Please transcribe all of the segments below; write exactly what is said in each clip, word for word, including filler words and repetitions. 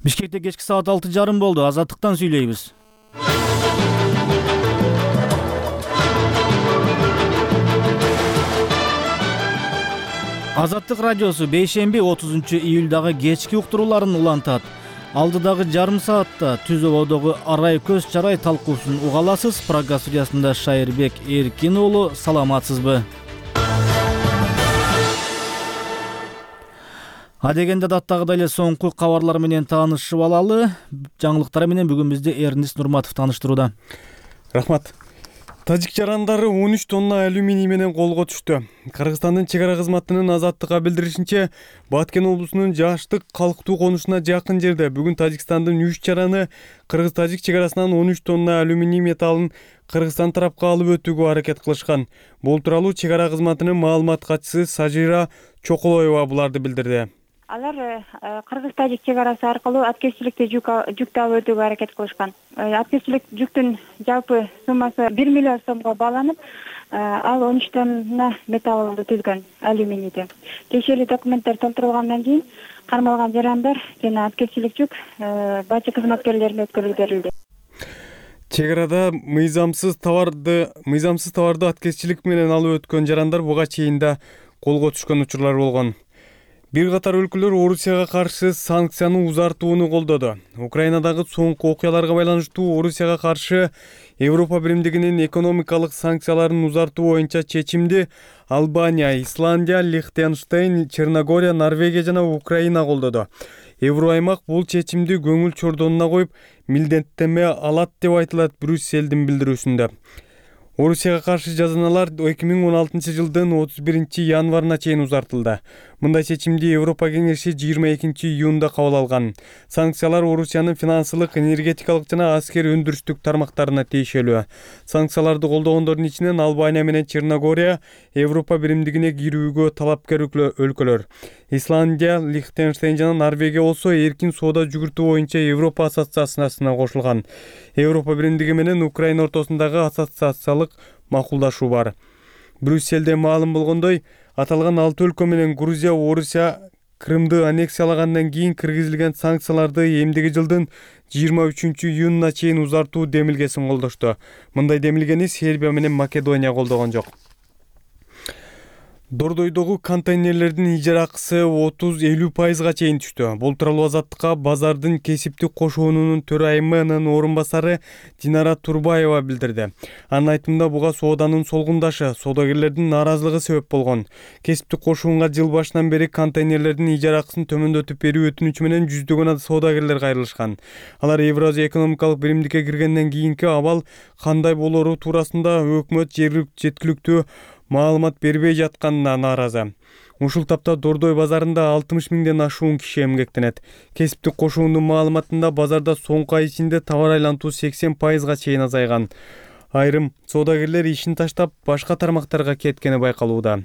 Бишкекте кечки саат алты жарым болду. Азаттыктан сүйлөйбүз. Азаттык радиосу бейшемби отузунчу июлдагы кечки уктурууларын улантат. Алдыдагы жарым саатта Түз ободогу арай көз чарай талкуусун уга аласыз. Программа студиясында Шайырбек Эркин уулу. Саламатсызбы? Адегенде даттагыдай эле соңку кабарлар менен таанышып алалы. Жаңылыктар менен бүгүн бизди Эрнис Нурматов тааныштырууда. Рахмат. Тажик жарандары он үч тонна алюминий менен колго түштү. Кыргызстандын чек ара кызматынын Азаттыкка билдиришинче, Баткен облусунун Жаштык калктуу конушуна жакын жерде бүгүн Тажикстандын үч жараны кыргыз-тажик чек арасынан он үч тонна алюминий металлын Кыргызстан тарапка алып өтүүгө аракет кылышкан. Бул тууралуу чек ара кызматынын маалымат катчысы Сажира Чоколоева буларды билдирди. Алар кыргыз-тажик чек арасы аркылуу аткезчиликти жүктү алып өтүүгө аракет кылышкан. Аткезчилик жүктүн жалпы суммасы бир миллион сомго бааланып, ал он үч тонна металлды түзгөн алюминийди. Тиешелүү документтер толтурулгандан кийин кармалган жарандар жана аткезчилик жүк бажы кызматкерлерине өткөрүлүп берилди. Чек арада мыйзамсыз товарды, мыйзамсыз товарды аткезчилик менен алып өткөн жарандар буга чейин да колго түшкөн учурлар болгон. Бир катар өлкөлөр Орусияга каршы санкцияны узартууну колдоду. Украинадагы соңку окуяларга байланыштуу Орусияга каршы Европа биримдигинин экономикалык санкцияларын узартуу боюнча чечимди Албания, Исландия, Лихтенштейн, Черногория, Норвегия жана Украина колдоду. Евроаймак бул чечимди көңүл чордонуна коюп, милдеттеме алат деп айтылат Брюсселдин билдирүүсүндө. Орусияга каршы жазаналар эки миң он алтынчы жылдын отуз биринчи январына чейин узартылды. Мындай чечимди Европа кеңеши жыйырма экинчи июнда кабыл алган. Санкциялар Орусиянын финансылык, энергетикалык жана аскер өндүрүштүк тармактарына тиешелүү. Санкцияларды колдогондордун ичинен Албания менен Черногория Европа биримдигине кирүүгө талапкер өлкөлөр. Исландия, Лихтенштейн жана Норвегия болсо эркин соода жүгүртүү боюнча Европа ассоциациясына кошулган. Европа биримдиги менен Украина ортосундагы ассоциациялык макулдашуу бар. Брюсселде маалым болгондой, аталган алты өлкө менен Грузия, Орусия Крымды аннексиялагандан кийин киргизилген санкцияларды эмдиги жылдын жыйырма үчүнчү июнуна чейин узартуу демилгесин колдошту. Мындай демилгени Сербия менен Македония колдогон жок. Дордойдогу контейнерлердин ижара акысы отуз элүү пайызга чейин түштү. Бул тууралуу Азаттыкка базардын кесиптик кошуунунун төрайымынын орун басары Динара Турбаева билдирди. Анын айтымында буга сооданын солгундашы, соодагерлердин нааразылыгы себеп болгон. Кесиптик кошуунга жыл башынан бери контейнерлердин ижара акысын төмөндөтүп берүү өтүнүчү менен жүздөгөн соодагерлер кайрылышкан. Алар Евразия экономикалык биримдикке киргенден кийинки абал кандай болору туурасында өкмөт жеткиликтүү маалымат бербей жатканына нааразы. Ушул тапта Дордой базарында алтымыш миңден ашуун киши эмгектенет. Кесиптик кошуунун маалыматында базарда соңку ай ичинде товар айлантуу сексен пайызга чейин азайган. Айрым соодагерлер ишин таштап башка тармактарга кеткени байкалууда.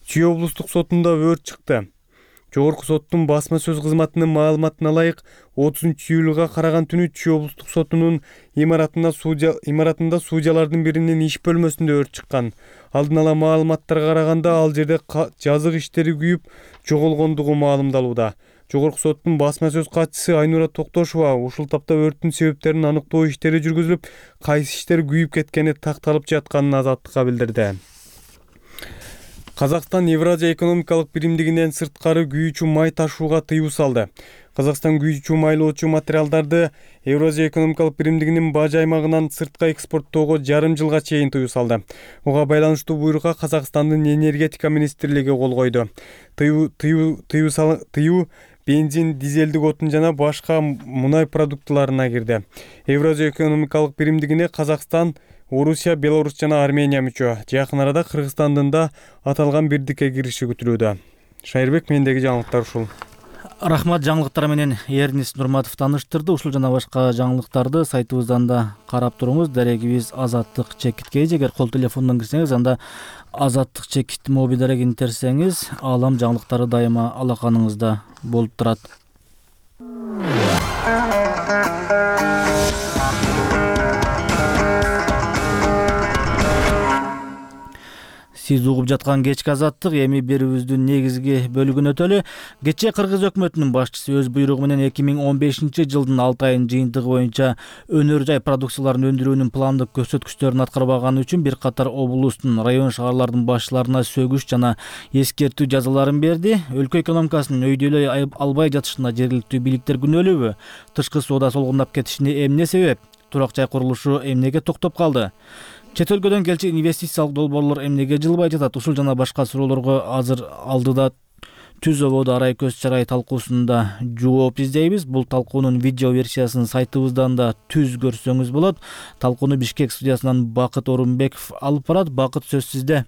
Чүй облустук сотунда өрт чыкты. Жогорку соттун басма сөз кызматынын маалыматына ылайык отузунчу июлга караган түнү Чүй облустук сотунун имаратында судья имаратында судьялардын биринин иш бөлмөсүндө өрт чыккан. Алдын ала маалыматтарга караганда ал жерде жазык иштери күйүп жоголгондугу маалымдалууда. Жогорку соттун басма сөз катчысы Айнура Токтошова ушул тапта өрттүн себептерин аныктоо иштери жүргүзүлүп, кайсы иштер күйүп кеткени такталып жатканын Азаттыкка билдирди. Казакстан Евразия экономикалык биримдигинен сырткары күйүүчү май ташууга тыюу салды. Казакстан күйүүчү майлоочу материалдарды Евразия экономикалык биримдигинин бажы аймагынан сыртка экспорттоого жарым жылга чейин тыюу салды. Буга байланыштуу буйрукка Казакстандын энергетика министрлиги кол койду. Тыюу тыюу тыюу тыюу бензин, дизелдик отун жана башка мунай продуктыларына кирди. Евразия экономикалык биримдигине Казакстан, Орусия, Беларусь жана Армения мүчө. Жакын арада Кыргызстандын да аталган бирдикке кириши күтүлүүдө. Шайырбек, мендеги жаңылыктар ушул. Рахмат, жаңылыктар менен Эрнис Нурматов тааныштырды. Ушул жана башка жаңылыктарды сайтыбыздан да карап туруңуз. Дарегибиз Азаттык чекит кей. Эгер кол телефондон кирсеңиз, анда Азаттык чекит моби дарегин терсеңиз, алам жаңылыктары дайыма алаканыңызда болуп турат. Сиз угуп жаткан кечки азаттык эми берүүбүздүн негизги бөлүгүнө өтөлү. Кечээ Кыргыз өкмөтүнүн башчысы өз буйругу менен эки миң он бешинчи жылдын алты айынын жыйынтыгы боюнча өнөр жай продукцияларын өндүрүүнүн пландык көрсөткүчтөрүн аткарбаганы үчүн бир катар облустун, район шаарлардын башчыларына сөгүш жана эскертүү жазаларын берди. Өлкө экономикасынын өйдөлөй албай жатышына жергиликтүү бийликтер күнөөлүүбү? Тышкы соода солгундап кетишине эмне себеп? Турак жай курулушу эмнеге токтоп калды? Чет өлкөдөн келчү инвестициялык долбоорлор эмнеге жылбай жатат? Ушул жана башка суроолорго азыр алдыда түз ободо арай көз чарай талкуусунда жооп издейбиз. Бул талкуунун видео версиясын сайтыбыздан да түз көрсөңүз болот. Талкууну Бишкек студиясынан Бакыт Орунбеков алып барат. Бакыт, сөз сизде.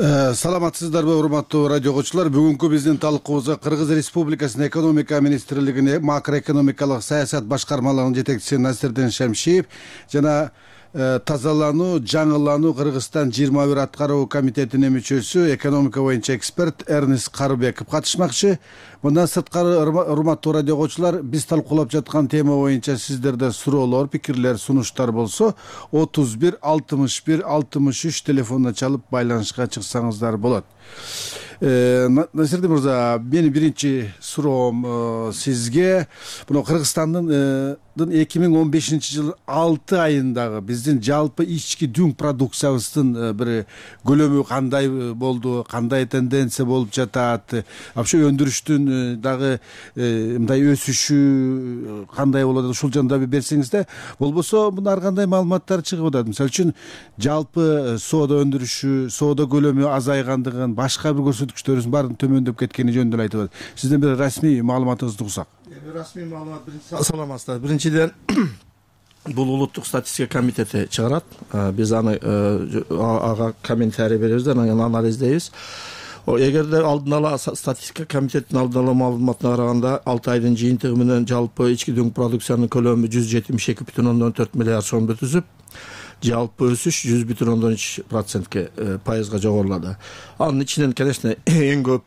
Саламатсыздарбы, урматтуу радио окуучулар. Бүгүнкү биздин талкуубузга Кыргыз Республикасынын экономика министрлигине макроэкономикалык саясат башкармалыгынын жетекчиси Насирдин Шемшиев жана тазалануу, жаңылануу Кыргызстан жыйырма бир аткаруу комитетинин мүчөсү, экономика боюнча эксперт Эрнис Карыбеков катышмакчы. Мындан сырткары, урматтуу радио окуучулар, биз талкуулап жаткан тема боюнча сиздерде суроолор, пикирлер, сунуштар болсо отуз бир алтымыш бир алтымыш үч телефонуна чалып байланышка чыксаңыздар болот. Насирдин мырза, менин биринчи суроом сизге, мына Кыргызстандын эки миң он бешинчи жылдын алты айындагы биздин жалпы ички дүң продукциябыздын бир көлөмү кандай болду, кандай тенденция болуп жатат, вообще өндүрүштүн дагы мындай өсүшү кандай болот, ушул жөнүндө бир берсеңизде, болбосо мына ар кандай маалыматтар чыгып атат. Мисалы үчүн жалпы соода өндүрүшү, соода көлөмү азайгандыгын, башка бир көрсөткүчтөрүбүздүн баарын төмөндөп кеткени жөнүндө айтып атат. Сизден бир расмий маалыматыңызды угсак. Расмий маалымат саламатсыздар. Биринчиден бул улуттук статистика комитети чыгарат. Биз аны ага комментарий беребиз, анан анализдейбиз. Эгерде алдын ала статистика комитетинин алдын ала маалыматына караганда алты айдын жыйынтыгы менен жалпы ички дүң продукциянын көлөмү жүз жетимиш эки бүтүн ондон төрт миллиард сомду түзүп, жалпы өсүш жүз бүтүн ондон үч процентке пайызга жогорулады. Анын ичинен, конечно, эң көп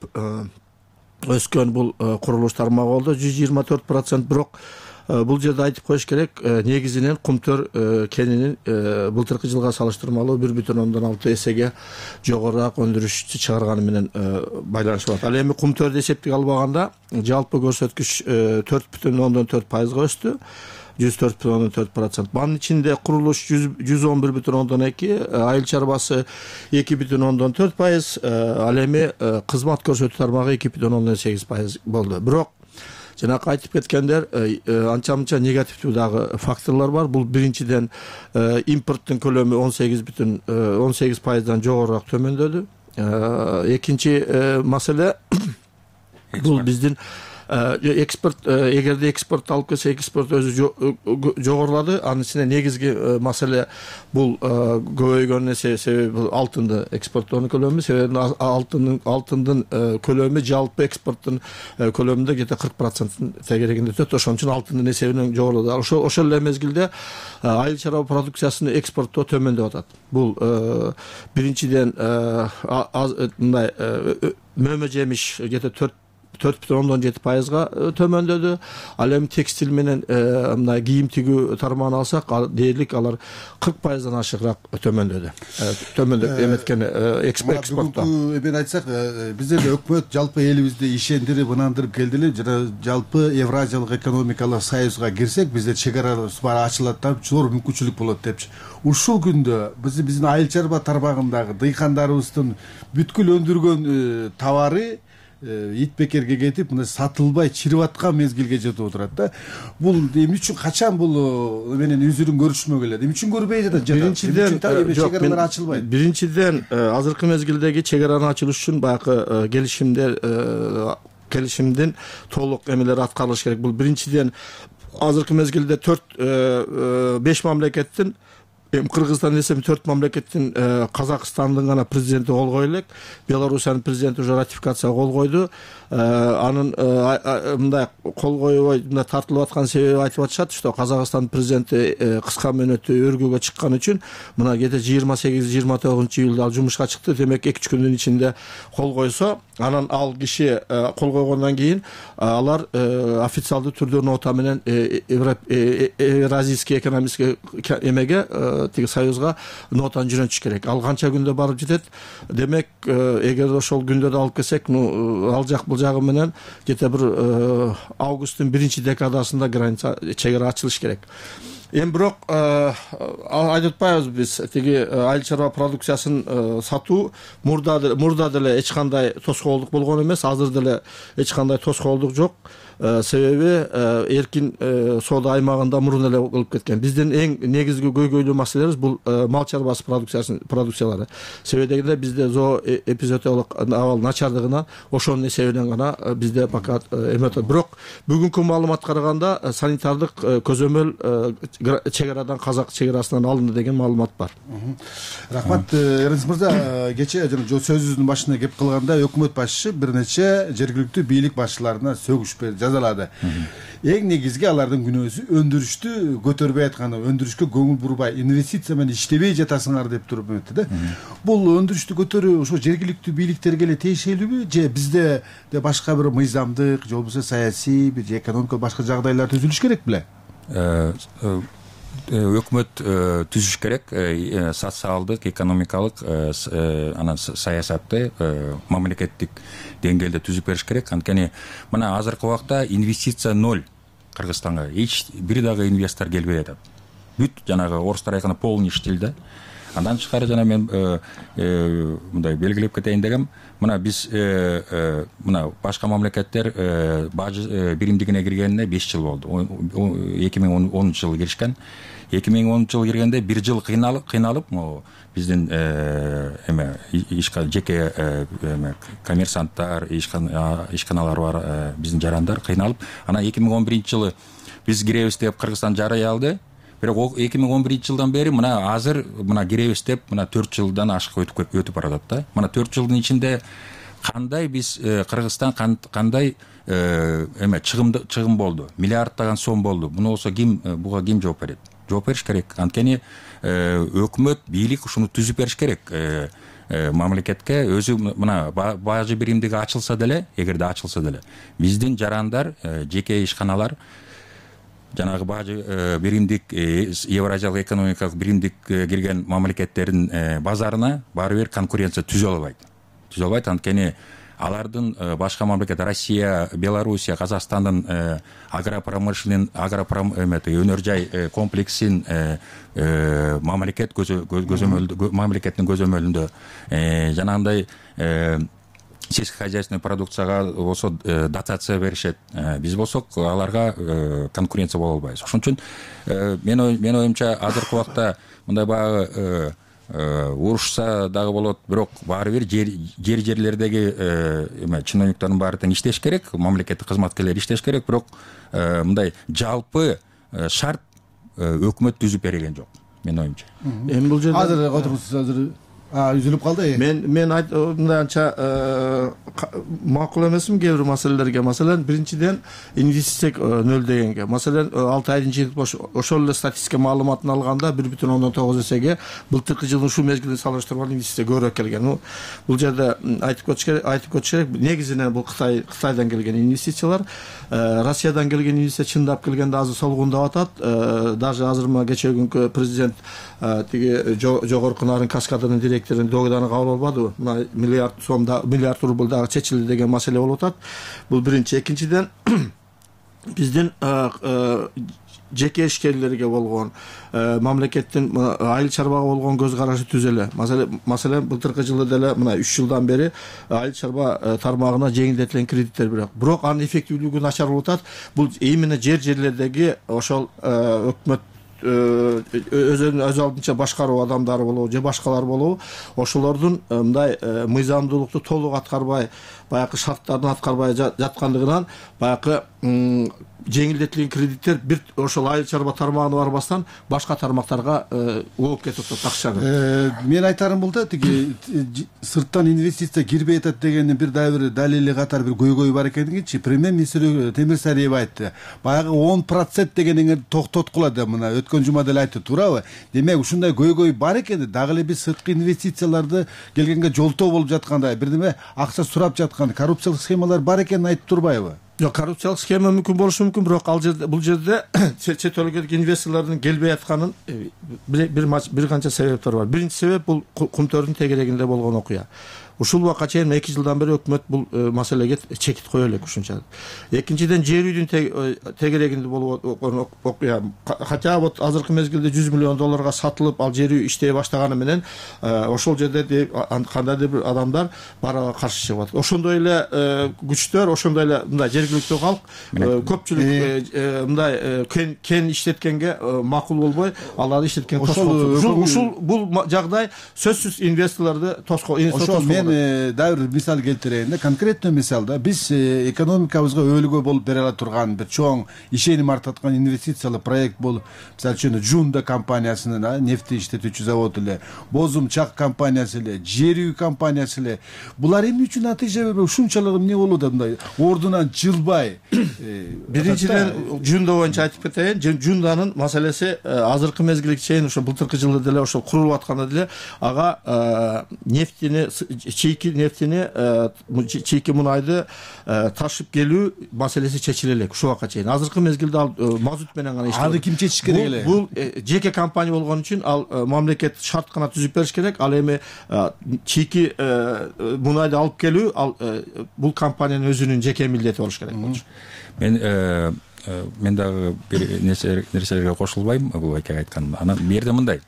өскөн бул курулуш тармагы болду, жүз жыйырма төрт процент. Бирок бул жерде айтып коюш керек, негизинен кумтөр кенинин былтыркы жылга салыштырмалуу бир бүтүн ондон алты эсеге жогорураак өндүрүш чыгарганы менен байланышып атат. Ал эми кумтөрдү эсептеге албаганда жалпы көрсөткүч төрт бүтүн ондон төрт пайызга өстү. жүз төрт бүтүн ондон төрт процент. Анын ичинде курулуш жүз он бир бүтүн ондон эки, айыл чарбасы эки бүтүн ондон төрт пайыз, ал эми кызмат көрсөтүү тармагы эки бүтүн ондон сегиз пайыз болду. Бирок жанакы айтып кеткендер анча-мынча негативдүү дагы факторлор бар. Бул биринчиден импорттун көлөмү он сегиз бүтүн он сегиз пайыздан жогорураак төмөндөдү. Экинчи маселе бул биздин экспорт, эгерде экспорт алып келсе, экспорт өзү жогорулады. Анын ичинде негизги маселе бул көбөйгөнүнө себеби алтынды экспорттоонун көлөмү, себеби алтындын алтындын көлөмү жалпы экспорттун көлөмүндө где-то кырк проценттин тегерегинде өтөт. Ошон үчүн алтындын эсебинен жогорулады. Ошол ошол эле мезгилде айыл чарба продукциясын экспорттоо төмөндөп атат. Бул биринчиден мындай мөмө жемиш где-то төрт төрт бүтүн ондон жети пайызга төмөндөдү. Ал эми текстиль менен мындай кийим тигүү тармагын алсак, дээрлик алар кырк пайыздан ашыгыраак төмөндөдү. Төмөндөп эметкен экспортто. Мен айтсак, биздерде өкмөт жалпы элибизди ишендирип, ынандырып келдили. Жана жалпы Евразиялык экономикалык союзга кирсек, бизде чек араларыбыз баары ачылат да, зор мүмкүнчүлүк болот депчи. Ушул күндө биз биздин айыл чарба тармагындагы дыйкандарыбыздын бүткүл өндүргөн товары ит бекерге кетип, мына сатылбай чирип аткан мезгилге жетип отурат да. Бул эмне үчүн, качан бул менен үзүрүн көрүшмө келет? Эмне үчүн көрбөй жатат? Биринчиден, чек аралар ачылбайт. Биринчиден, азыркы мезгилдеги чек аранын ачылышы үчүн баягы келишимдер келишимдин толук эмелери аткарылыш керек. Бул биринчиден, азыркы мезгилде төрт беш мамлекеттин, эми Кыргызстан десем төрт мамлекеттин, Казакстандын гана президенти кол кое элек, Белоруссиянын президенти уже ратификацияга кол койду. Анын мындай кол койбой мындай тартылып аткан себеби айтып атышат, что Казакстан президенти кыска мөөнөттө өргүүгө чыккан үчүн мына где-то жыйырма сегиз жыйырма тогузунчу июлда ал жумушка чыкты. Демек эки үч күндүн ичинде кол койсо, анан ал киши кол койгондон кийин алар официалдуу түрдө нота менен Евразийский экономический эмеге тиги союзга нотаны жөнөтүш керек. Ал канча күндө барып жетет? Демек, эгер ошол күндөрдү алып келсек, ну ал жак бул жагы менен где-то бир августтун биринчи декадасында граница чек ара ачылыш керек. Эми бирок айтып атпайбыз биз тиги айыл чарба продукциясын сатуу мурда мурда деле эч кандай тоскоолдук болгон эмес, азыр деле эч кандай тоскоолдук жок. Себеби эркин соода аймагында мурун эле кылып кеткен. Биздин эң негизги көйгөйлүү маселебиз бул мал чарбасы продукциясын продукциялары. Себеби дегенде бизде зоо эпизоотиялык абал начардыгынан ошонун эсебинен гана бизде пока эметет. Бирок бүгүнкү маалыматка караганда санитардык көзөмөл чек арадан казак чек арасынан алынды деген маалымат бар. Рахмат, Эрнис мырза. Кечээ жана сөзүбүздүн башында кеп калганда өкмөт башчысы бир нече жергиликтүү бийлик башчыларына сөгүш жазалады. Эң негизги алардын күнөөсү өндүрүштү көтөрбөй атканы, өндүрүшкө көңүл бурбай, инвестиция менен иштебей жатасыңар деп туруп өттү да. Бул өндүрүштү көтөрүү ошо жергиликтүү бийликтерге эле тиешелүүбү, же бизде де башка бир мыйзамдык, же болбосо саясий, бир экономикалык башка жагдайлар түзүлүш керек беле? Өкмөт түзүш керек, социалдык, экономикалык анан саясатты мамлекеттик деңгээлде түзүп бериш керек. Анткени мына азыркы убакта инвестиция ноль Кыргызстанга. Эч бир дагы инвестор келбей атат. Бүт жанагы орустар айтканда полный штиль да. Андан тышкары жана мен мындай белгилеп кетейин дегем, мына биз мына башка мамлекеттер бажы биримдигине киргенине беш жыл болду. эки миң онунчу жылы киришкен. эки миң онунчу жылы киргенде бир жыл кыйналып, кыйналып, биздин эме ишка жеке эме коммерсанттар, ишканалар бар, биздин жарандар кыйналып, анан эки миң он биринчи жылы биз киребиз деп Кыргызстан жарыя алды. Бирок эки миң он биринчи жылдан бери мына азыр мына киребиз деп мына төрт жылдан ашык өтүп өтүп баратат да. Мына төрт жылдын ичинде кандай биз Кыргызстан кандай эме чыгым чыгым болду? Миллиарддаган сом болду. Муну болсо ким буга ким жооп берет? Жооп бериш керек. Анткени өкмөт, бийлик ушуну түзүп бериш керек. Мамлекетке өзү мына бажы биримдиги ачылса деле, эгерде ачылса деле, биздин жарандар, жеке ишканалар жанагы бажы биримдик Евразиялык экономикалык биримдик кирген мамлекеттердин базарына баары бир конкуренция түзө албайт. Түзө албайт, анткени алардын башка мамлекет Россия, Белоруссия, Казакстандын агропромышленный агропромет өнөр жай комплексин мамлекет көзөмөлдө мамлекеттин көзөмөлүндө жанагындай сельскохозяйственный продукцияга болсо дотация беришет. Биз болсок аларга конкуренция боло албайбыз. Ошон үчүн мен мен оюмча азыркы убакта мындай баягы урушса дагы болот, бирок баары бир жер жер жерлердеги эме чиновниктардын баары тең иштеш керек, мамлекеттик кызматкерлер иштеш керек, бирок мындай жалпы шарт өкмөт түзүп берген жок, мен оюмча. Эми бул жерде Азыр отуруңуз, азыр үзүлүп калды. Мен мен мындай анча макул эмесмин кээ бир маселелерге. Маселен, биринчиден инвестиция нөл дегенге. Маселен, алты айдын чыгып ошол эле статистика маалыматын алганда бир бүтүн ондон тогуз эсеге былтыркы жылдын ушул мезгилине салыштырганда инвестиция көбүрөөк келген. Бул жерде айтып кетиш керек, айтып кетиш керек. Негизинен бул Кытай Кытайдан келген инвестициялар, Россиядан келген инвестиция чындап келгенде азыр солгундап атат. Даже азыр мына кечээ күнкү президент тиги жогорку нарын каскадынын директорун догданы кабыл албадыбы? Мына миллиард сомда миллиард рубль дагы чечилди деген маселе болуп атат. Бул биринчи. Экинчиден биздин жеке ишкерлерге болгон мамлекеттин айыл чарбага болгон көз карашы түз эле. Маселен, былтыркы жылы деле мына үч жылдан бери айыл чарба тармагына жеңилдетилген кредиттер берет. Бирок анын эффективдүүлүгү начар болуп атат. Бул именно жер жерлердеги ошол өкмөт өзүнүн өз алдынча башкаруу адамдары болобу же башкалар болобу, ошолордун мындай мыйзамдуулукту толук аткарбай, баягы шарттарын аткарбай жаткандыгынан баягы жеңилдетилген кредиттер бир ошол айыл чарба тармагына барбастан башка тармактарга ооп кетип атат акчаны. Мен айтарым бул да, тиги сырттан инвестиция кирбей атат дегендин бир дагы бир далили катары бир көйгөй бар экенинчи премьер-министр Темир Сариев айтты. Баягы он процент дегенин токтоткула деп мына өткөн жума деле айтты, туурабы? Демек ушундай көйгөй бар экен, дагы эле биз сырткы инвестицияларды келгенге жолтоо болуп жаткандай, бир неме акча сурап жаткан коррупциялык схемалар бар экенин айтып турбайбы? Жок, коррупциялык схема мүмкүн болушу мүмкүн, бирок ал жерде бул жерде чет өлкөлүк инвесторлордун келбей атканын бир бир канча себептер бар. Биринчи себеп бул кумтөрдүн тегерегинде болгон окуя. Ушул убакка чейин эки жылдан бери өкмөт бул маселеге чекит кое элек ушунча. Экинчиден, жер үйдүн тегерегинде болгон окуя. Хотя вот азыркы мезгилде жүз миллион долларга сатылып, ал жер үй иштей баштаганы менен ошол жерде кандайдыр бир адамдар барага каршы чыгып атат. Ошондой эле күчтөр, ошондой эле мындай жергиликтүү калк көпчүлүк мындай кен кен иштеткенге макул болбой, аларды иштеткен тоскоолдук. Ушул бул жагдай сөзсүз инвесторлорду тоскоолдук. Дагы бир мисал келтирейин да, конкреттүү мисалда биз экономикабызга өөлгө болуп бере ала турган бир чоң ишеним артаткан инвестициялык проект болуп, мисалы үчүн Жунда компаниясынын нефти иштетүүчү завод эле, Бозум Чак компаниясы эле, жер үй компаниясы эле, булар эмне үчүн натыйжа бербей ушунчалык эмне болуп атат, мындай ордунан жылбай? Биринчиден, Жунда боюнча айтып кетейин, Жунданын маселеси азыркы мезгилге чейин ошо былтыркы жылы деле ошол курулуп атканда деле ага нефтини, чийки нефтини, чийки мунайды ташып келүү маселеси чечиле элек ушул убакка чейин. Азыркы мезгилде ал мазут менен гана иштейт. Аны ким чечиш керек эле? Бул жеке компания болгон үчүн ал мамлекет шарт гана түзүп бериш керек. Ал эми чийки мунайды алып келүү ал бул компаниянын өзүнүн жеке милдети болуш керек болчу. Мен мен дагы бир нерселерге кошулбайм бул айка айткан. Анан бу жерде мындай.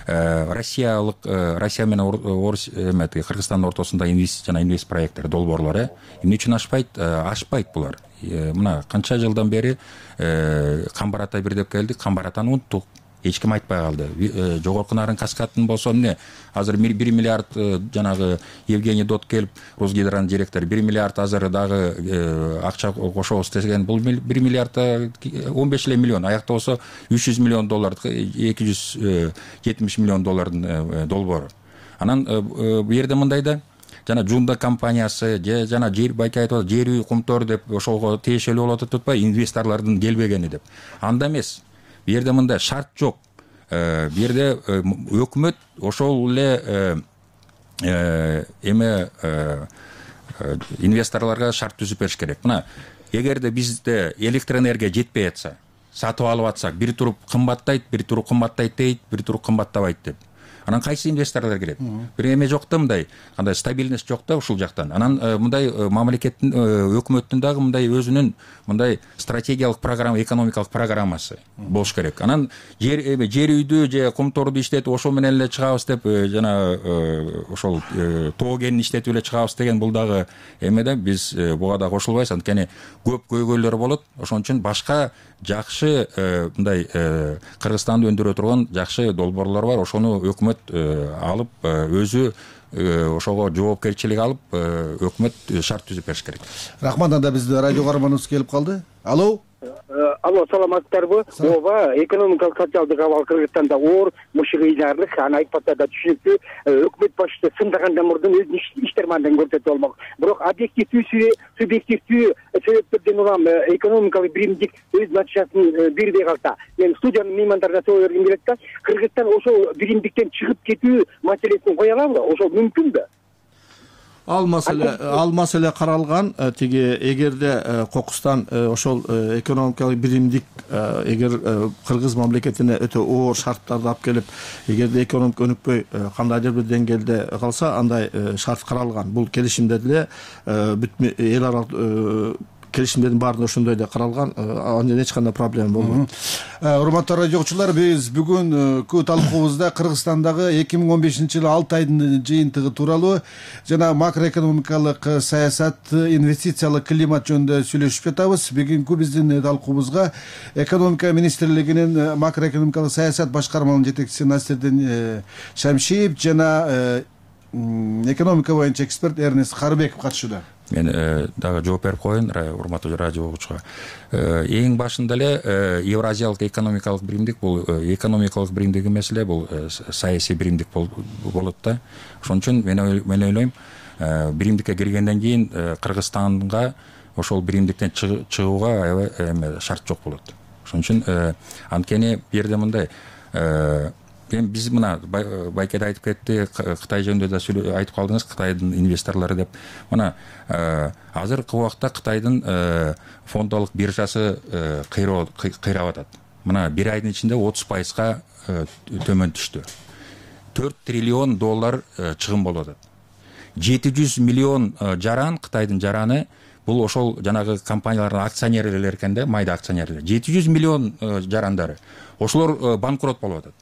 Россиялык Россия менен Орус эме Кыргызстандын ортосунда инвест жана инвест проекттер, долбоорлор эмне үчүн ашпайт? Ашпайт булар. Мына канча жылдан бери Камбарата бир деп келдик, Камбаратаны унуттук. Эч ким айтпай калды. Жогорку Нарын каскадын болсо эмне? Азыр бир миллиард жанагы Евгений Дот келип, Росгидронун директору бир миллиард азыр дагы акча кошобуз деген. Бул бир миллиард он беш эле миллион, аякта болсо үч жүз миллион доллар, эки жүз жетимиш миллион доллардын долбоору. Анан бу жерде мындай да, жана Жунда компаниясы же жана жер байке айтып атат, жер үй кумтөр деп ошого тиешелүү болуп атат атпайбы, инвесторлордун келбегени деп. Анда эмес. Бу жерде мындай шарт жок. Бу жерде өкмөт ошол эле эме инвесторлорго шарт түзүп бериш керек. Мына, эгерде бизде электр энергия жетпей атса, сатып алып атсак, бир туруп кымбаттайт, бир туруп кымбаттайт дейт, бир туруп кымбаттабайт деп. Анан кайсы инвесторлор кирет? Бир эме жок да, мындай, кандай стабильность жок да ушул жактан. Анан мындай мамлекеттин, өкмөттүн дагы мындай өзүнүн мындай стратегиялык программа, экономикалык программасы болуш керек. Анан жер эме жер үйдү же кумторду иштетип ошол менен эле чыгабыз деп, жана ошол тоо кенин иштетип эле чыгабыз деген бул дагы эме да, биз буга да кошулбайбыз. Анткени көп көйгөйлөр болот. Ошон үчүн башка жакшы мындай Кыргызстанды өндүрө турган жакшы долбоорлор бар. Ошону өкмөт алып өзү ошого жоопкерчилик алып өкмөт шарт түзүп бериш керек. Рахмат. Анда биздин радио каарманыбыз келип калды. Алло. Алло, саламатсыздарбы? Ооба, экономикалык социалдык абал Кыргызстанда оор, мушугыйларлык, аны айтпаса да түшүнүктүү. Өкмөт башчысы сындаганда мурдун өзүнүн иштер мандын көрсөтүп алмак. Бирок объективдүү, субъективдүү себептерден улам экономикалык биримдик өз натыйжасын бербей калса, мен студиянын меймандарына соо бергим келет да, Кыргызстан ошол биримдиктен чыгып кетүү маселесин кое алабы? Ошол мүмкүнбү? Ал маселе ал маселе каралган. Тиги эгерде Кокустан ошол экономикалык биримдик эгер Кыргыз мамлекетине өтө оор шарттарды алып келип, эгерде экономика өнүкпөй кандайдыр бир деңгээлде калса, андай шарт каралган. Бул келишимде деле бүт эл аралык келишимдердин баарында ошондой эле каралган. Анда эч кандай проблема болбойт. Урматтуу радиочулар, биз бүгүнкү талкуубузда Кыргызстандагы эки миң он бешинчи жылы алты айдын жыйынтыгы тууралуу жана макроэкономикалык саясат, инвестициялык климат жөнүндө сүйлөшүп жатабыз. Бүгүнкү биздин талкуубузга экономика министрлигинин макроэкономикалык саясат башкармалыгынын жетекчиси Насирдин Шамшиев жана экономика боюнча эксперт Эрнест Карыбеков катышууда. Мен дагы жооп берип коеюн урматтуу радио угуучуга. Эң башында эле Евразиялык экономикалык биримдик бул экономикалык биримдик эмес эле, бул саясий биримдик болот да. Ошон үчүн мен мен ойлойм, биримдикке киргенден кийин Кыргызстанга ошол биримдиктен чыгууга аябай эме шарт жок болот. Ошон үчүн анткени бу жерде мындай эми биз мына байке да айтып кетти, Кытай жөнүндө да айтып калдыңыз, Кытайдын инвесторлору деп. Мына азыркы убакта Кытайдын фондолук биржасы кыйрап атат. Мына бир айдын ичинде отуз пайызга төмөн түштү. төрт триллион доллар чыгым болуп атат. жети жүз миллион жаран, Кытайдын жараны, бул ошол жанагы компаниялардын акционерлери экен да, майда акционерлер. жети жүз миллион жарандары. Ошолор банкрот болуп атат.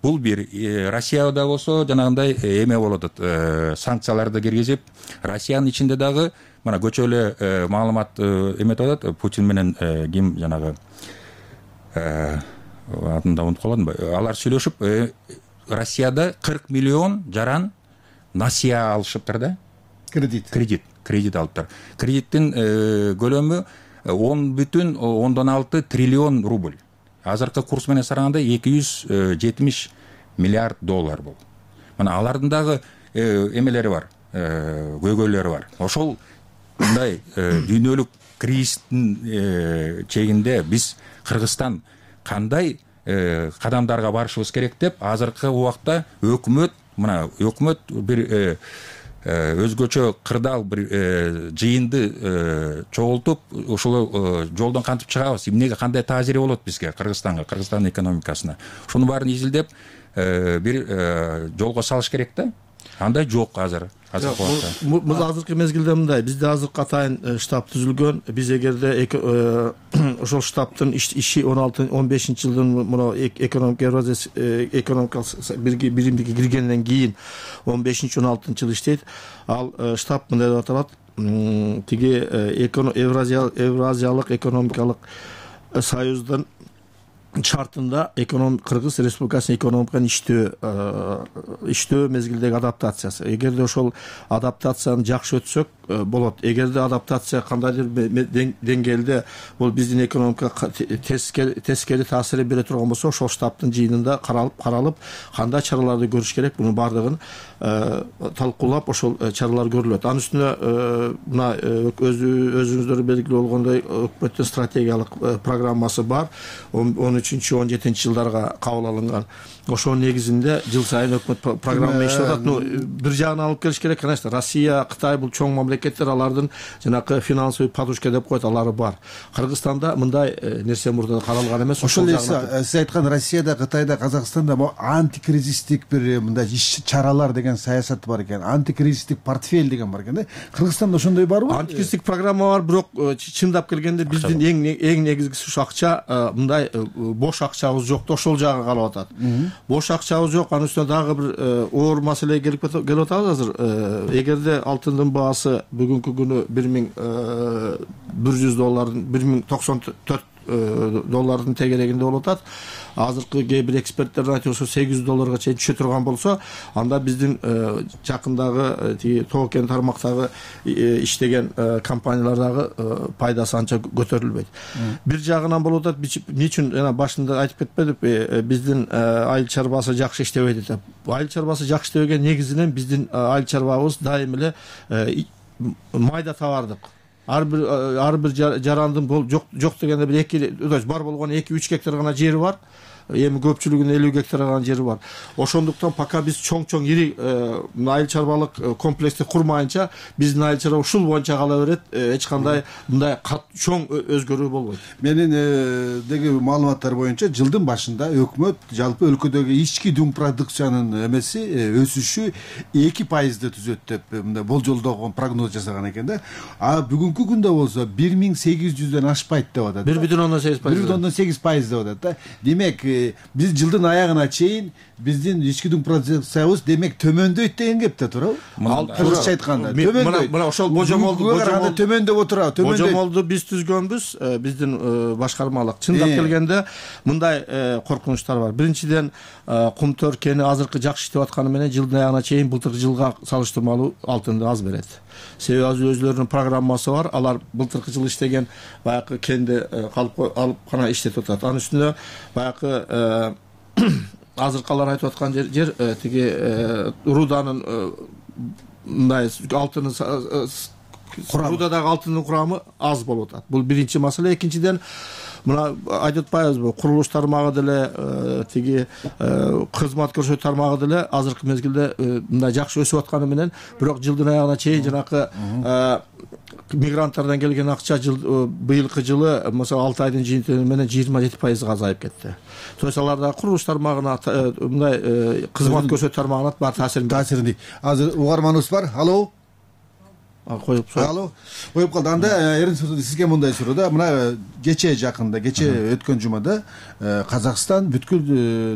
Бул бир. Россияда болсо жанагындай эме болуп атат, санкцияларды киргизип, Россиянын ичинде дагы мына көчө эле маалымат эметип атат. Путин менен ким жанагы атын да унутуп калдым. Алар сүйлөшүп, Россияда кырк миллион жаран насия алышыптыр да. Кредит. Кредит. Кредит алыптыр. Кредиттин көлөмү он бүтүн ондон алты триллион рубль. Азыркы курс менен сараганда эки жүз жетимиш миллиард доллар болду. Мына алардын дагы эмелери бар, көйгөйлөрү бар. Ошол мындай дүйнөлүк кризистин чегинде биз Кыргызстан кандай кадамдарга барышыбыз керек деп азыркы убакта өкмөт, мына өкмөт бир өзгөчө кырдаал бир жыйынды чогултуп, ушул жолдон кантип чыгабыз, эмнеге, кандай таасири болот бизге, Кыргызстанга, Кыргызстандын экономикасына. Ушуну баарын изилдеп бир жолго салыш керек да. Андай жок азыр. Бул азыркы мезгилде мындай, бизде азыркы атайын штаб түзүлгөн. Биз эгерде ошол штабтын иши он алты он бешинчи жылдын мына экономик экономикалык биримдикке киргенден кийин он бешинчи он алтынчы жыл иштейт. Ал штаб мындай деп аталат, тиги Евразиялык экономикалык союздун шартында Кыргыз Республикасынын экономиканын иштөө иштөө мезгилдеги адаптациясы. Эгерде ошол адаптацияны жакшы өтсөк болот. Эгерде адаптация кандайдыр деңгээлде бул биздин экономикага тескери таасир бере турган болсо, ошол штабтын жыйынында каралып, каралып, кандай чараларды көрүш керек, мунун бардыгын талкуулап, ошол чаралар көрүлөт. Анын үстүнө мына өзүңүздөр белгилүү болгондой өкмөттүн стратегиялык программасы бар. он үчүнчү он жетинчи жылдарга кабыл алынган. Ошонун негизинде жыл сайын өкмөт программа иштеп атат. Ну, бир жагынан алып келиш керек, конечно, Россия, Кытай бул чоң мамлекеттер, алардын жанакы финансовый подушка деп коет, алары бар. Кыргызстанда мындай нерсе мурда каралган эмес. Ошол эле сиз айткан Россияда, Кытайда, Казакстанда бу антикризистик бир мындай иш чаралар деген саясат бар экен. Антикризистик портфель деген бар экен да. Кыргызстанда ошондой барбы? Антикризистик программа бар, бирок чындап келгенде биздин эң эң негизгиси ушу акча, мындай бош акчабыз жок, ошол жагы калып атат. Бош акчабыз жок, анын үстүнө дагы бир оор маселеге келип келип атабыз азыр. Эгерде алтындын баасы бүгүнкү күнү бир миң бир жүз доллардын бир миң токсон төрт доллардын тегерегинде болуп атат. Азыркы кээ бир эксперттердин айтуусу сегиз жүз долларга чейин түшө турган болсо, анда биздин жакындагы тиги токен тармактагы иштеген компаниялар дагы пайдасы анча көтөрүлбөйт. Бир жагынан болуп атат, эмне үчүн жана башында айтып кетпедикпи, биздин айыл чарбасы жакшы иштебейт деп. Айыл чарбасы жакшы иштебеген негизинен биздин айыл чарбабыз дайым эле майда товардык. Ар бир ар бир жарандын жок жок дегенде бир эки бар болгону эки үч гектар гана жери бар. Эми көпчүлүгүнүн элүү гектар гана жери бар. Ошондуктан пока биз чоң-чоң ири айыл чарбалык комплексти курмайынча биздин айыл чарба ушул боюнча кала берет. Эч кандай мындай чоң өзгөрүү болбойт. Менин деги маалыматтар боюнча жылдын башында өкмөт жалпы өлкөдөгү ички дүң продукциянын эмеси өсүшү эки пайызды түзөт деп мындай болжолдогон прогноз жасаган экен да. А бүгүнкү күндө болсо бир миң сегиз жүздөн ашпайт деп атат. бир бүтүн ондон сегиз пайыз. бир бүтүн ондон сегиз пайыз деп атат да. Демек биз жылдын аягына чейин биздин ички дүң продукциябыз демек төмөндөйт деген кепте туурабы? Кыргызча айтканда төмөндөйт. Мына ошол божомолду төмөндөп отурабы? Божомолду биз түзгөнбүз, биздин башкармалык. Чындап келгенде мындай коркунучтар бар. Биринчиден, Кумтөр кени азыркы жакшы иштеп атканы менен жылдын аягына чейин былтыркы жылга салыштырмалуу алтынды аз берет. Себеби өзлөрүнүн программасы бар. Алар былтыркы жыл иштеген баягы кенди калып алып гана иштетип атат. Анын үстүнө баягы азыркалар айтып аткан жер тиги руданын мындай алтынын рудадагы алтындын курамы аз болуп атат. Бул биринчи маселе. Экинчиден, мына айтып атпайбызбы, курулуш тармагы деле тиги кызмат көрсөтүү тармагы деле азыркы мезгилде мындай жакшы өсүп атканы менен, бирок жылдын аягына чейин жанакы мигранттардан келген акча жыл быйылкы жылы мисалы алты айдын жыйынтыгы менен жыйырма жети пайызга азайып кетти. То есть аларда курулуш тармагына, мындай кызмат көрсөтүү тармагына баары таасирин таасирин. Азыр угарманыбыз бар. Алло. Коюп сор. Алло. Коюп калды. Анда Эрин сизге мындай суроо да. Мына кече жакында, кече өткөн жумада Казакстан бүткүл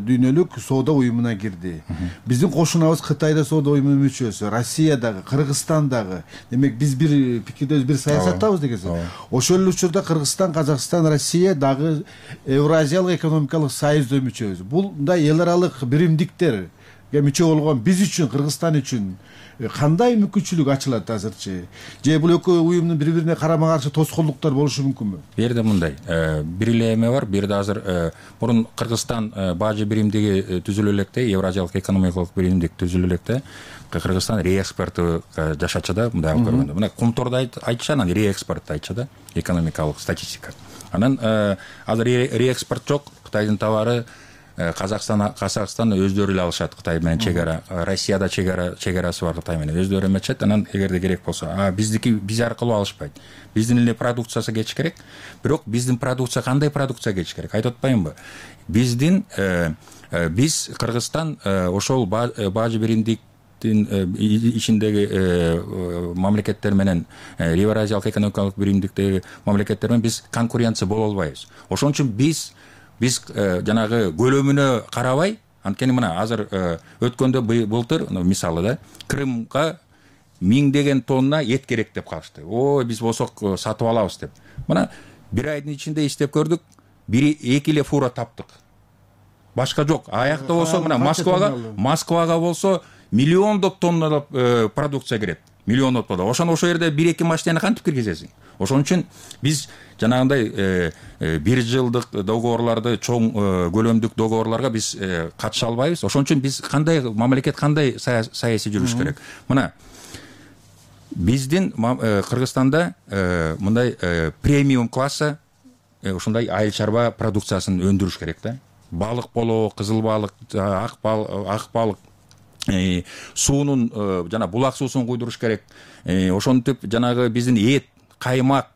дүйнөлүк соода уюмуна кирди. Биздин кошунабыз Кытайда соода уюмунун мүчөсү, Россиядагы, Кыргызстандагы. Демек биз бир пикирдебиз, бир саясаттабыз деген сөз. Ошол эле учурда Кыргызстан, Казакстан, Россия дагы Евразиялык экономикалык союзда мүчөбүз. Бул мындай эл аралык биримдиктер мүчө болгон биз үчүн, Кыргызстан үчүн кандай мүмкүнчүлүк ачылат азырчы? Же бул экөө уюмдун бири-бирине карама каршы тоскоолдуктар болушу мүмкүнбү? Бул жерде мындай бир эле эме бар. Бир жерде азыр мурун Кыргызстан бажы биримдиги түзүлө электе, Евразиялык экономикалык биримдик түзүлө электе. Кыргызстан реэкспорту жашачы да, мындай алып көргөндө. Мына кумторду айтчы, анан реэкспортду айтчы да, экономикалык статистика. Анан азыр реэкспорт жок, Кытайдын товары Казакстан Казакстан өздөрү эле алышат, Кытай менен чек ара. Россияда чек ара чек-арасы бар Кытай менен, өздөрү эметишет. Анан эгерде керек болсо, а биздики биз аркылуу алышпайт. Биздин эле продукциясы кетиш керек. Бирок биздин продукция кандай продукция кетиш керек? Айтып атпаймынбы? Биздин биз Кыргызстан ошол бажы биримдик ичиндеги мамлекеттер менен, Евразиялык экономикалык биримдиктеги мамлекеттер менен биз конкуренция боло албайбыз. Ошон үчүн биз биз жанагы көлөмүнө карабай, анткени мына азыр өткөндө былтыр мисалы да Крымга миңдеген тонна эт керек деп калышты. О, биз болсок сатып алабыз деп. Мына бир айдын ичинде иштеп көрдүк, бир эки эле фура таптык. Башка жок. Аякта болсо мына Москвага, Москвага болсо миллиондоп тонналап продукция кирет. Миллиондоп тонна. Ошон ошол жерде бир эки машинаны кантип киргизесиң? Ошон үчүн биз жанагындай бир жылдык договорларды, чоң көлөмдүк договорларга биз катыша албайбыз. Ошон үчүн биз кандай мамлекет кандай саясий жүрүш керек? Мына биздин Кыргызстанда мындай премиум классы ушундай айыл чарба продукциясын өндүрүш керек да. Балык болобу, кызыл балык, ак балык, суунун жана булак суусун куйдуруш керек. Ошентип жанагы биздин эт, каймак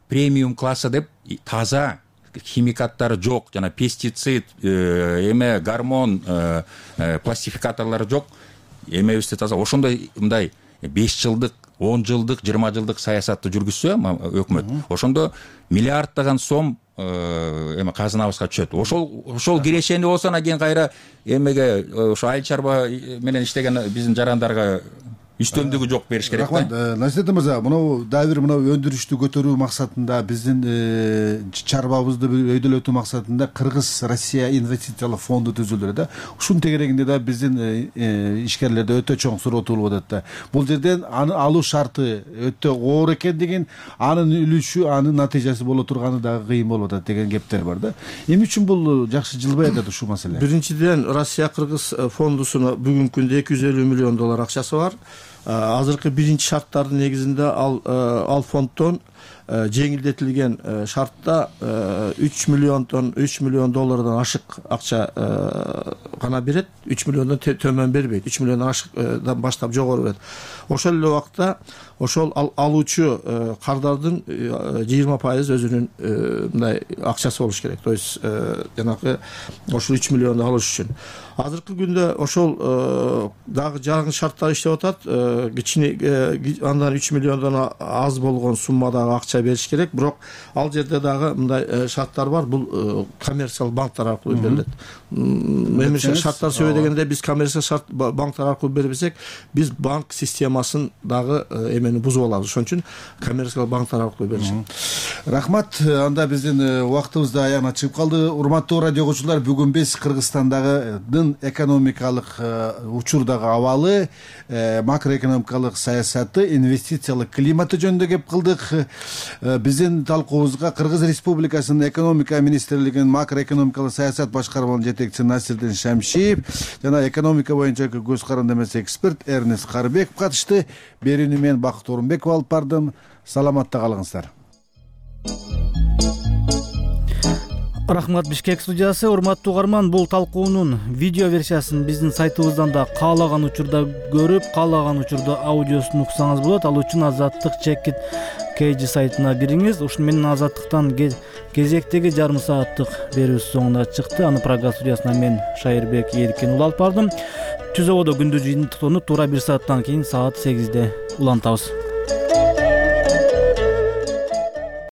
премиум классы деп таза, химикаттары жок, жана пестицид, эме гормон, пластификаторлору жок, эмебизди таза. Ошондой мындай беш жылдык, он жылдык, жыйырма жылдык саясатты жүргүзсө өкмөт, ошондо миллиарддаган сом эме казынабызга түшөт. Ошол ошол кирешени болсо, анан кийин кайра эмеге ошо айыл чарба менен иштеген биздин жарандарга үстөмдүгү жок бериш керек да. Рахмат. Насиретдин мырза, мына дагы бир мына өндүрүштү көтөрүү максатында, биздин чарбабызды өйдөлөтүү максатында Кыргыз Россия инвестициялык фонду түзүлдү да. Ушунун тегерегинде да биздин ишкерлерде өтө чоң суроо туулуп атат да. Бул жерден аны алуу шарты өтө оор экендигин, анын үлүшү, анын натыйжасы боло турганы дагы кыйын болуп атат деген кептер бар да. Эмне үчүн бул жакшы жылбай атат ушул маселе? Биринчиден, Россия Кыргыз фондусуна бүгүнкү күндө эки жүз элүү миллион доллар акчасы бар. Азыркы биринчи шарттардын негизинде ал ал фонддон жеңилдетилген шартта үч миллиондон үч миллион доллардан ашык акча гана берет, үч миллиондон төмөн бербейт, үч миллиондон ашыкдан баштап жогору берет. Ошол эле убакта ошол алуучу кардардын жыйырма пайыз өзүнүн мындай акчасы болуш керек. То есть жанагы ошол үч миллионду алыш үчүн. Азыркы күндө ошол дагы жаңы шарттар иштеп атат. Кичине андан үч миллиондон аз болгон суммадагы акча бериш керек, бирок ал жерде дагы мындай шарттар бар. Бул коммерциялык банктар аркылуу берилет. Эмне шарттар сөйбө дегенде биз коммерциялык шарт банктар аркылуу бербесек, биз банк системасын дагы эмени бузуп алабыз. Ошон үчүн коммерциялык банктар аркылуу беришет. Рахмат. Анда биздин убактыбыз да аягына чыгып калды. Урматтуу радио окуучулар, бүгүн биз Кыргызстандагы экономикалык учурдагы абалы, макроэкономикалык саясаты, инвестициялык климаты жөнүндө кеп кылдык. Биздин талкуубузга Кыргыз Республикасынын экономика министрлигинин макроэкономикалык саясат башкармалыгынын жетекчиси Насирдин Шамшиев жана экономика боюнча көз карандамасы эксперт Эрнест Карбеков катышты. Берүүнү мен Бакыт Орунбеков алып бардым. Саламатта калыңыздар. Рахмат, Бишкек студиясы. Урматтуу угарман, бул талкуунун видео версиясын биздин сайтыбыздан да каалаган учурда көрүп, каалаган учурда аудиосун уксаңыз болот. Ал үчүн Азаттык чекит кей жи сайтына кириңиз. Ушуну менен Азаттыктан кезектеги жарым сааттык берүүбүз соңуна чыкты. Аны программа студиясынан мен Шайырбек Эркин улантып бардым. Түз абада күндүз жыйынтыктоону туура бир сааттан кийин саат сегизде улантабыз.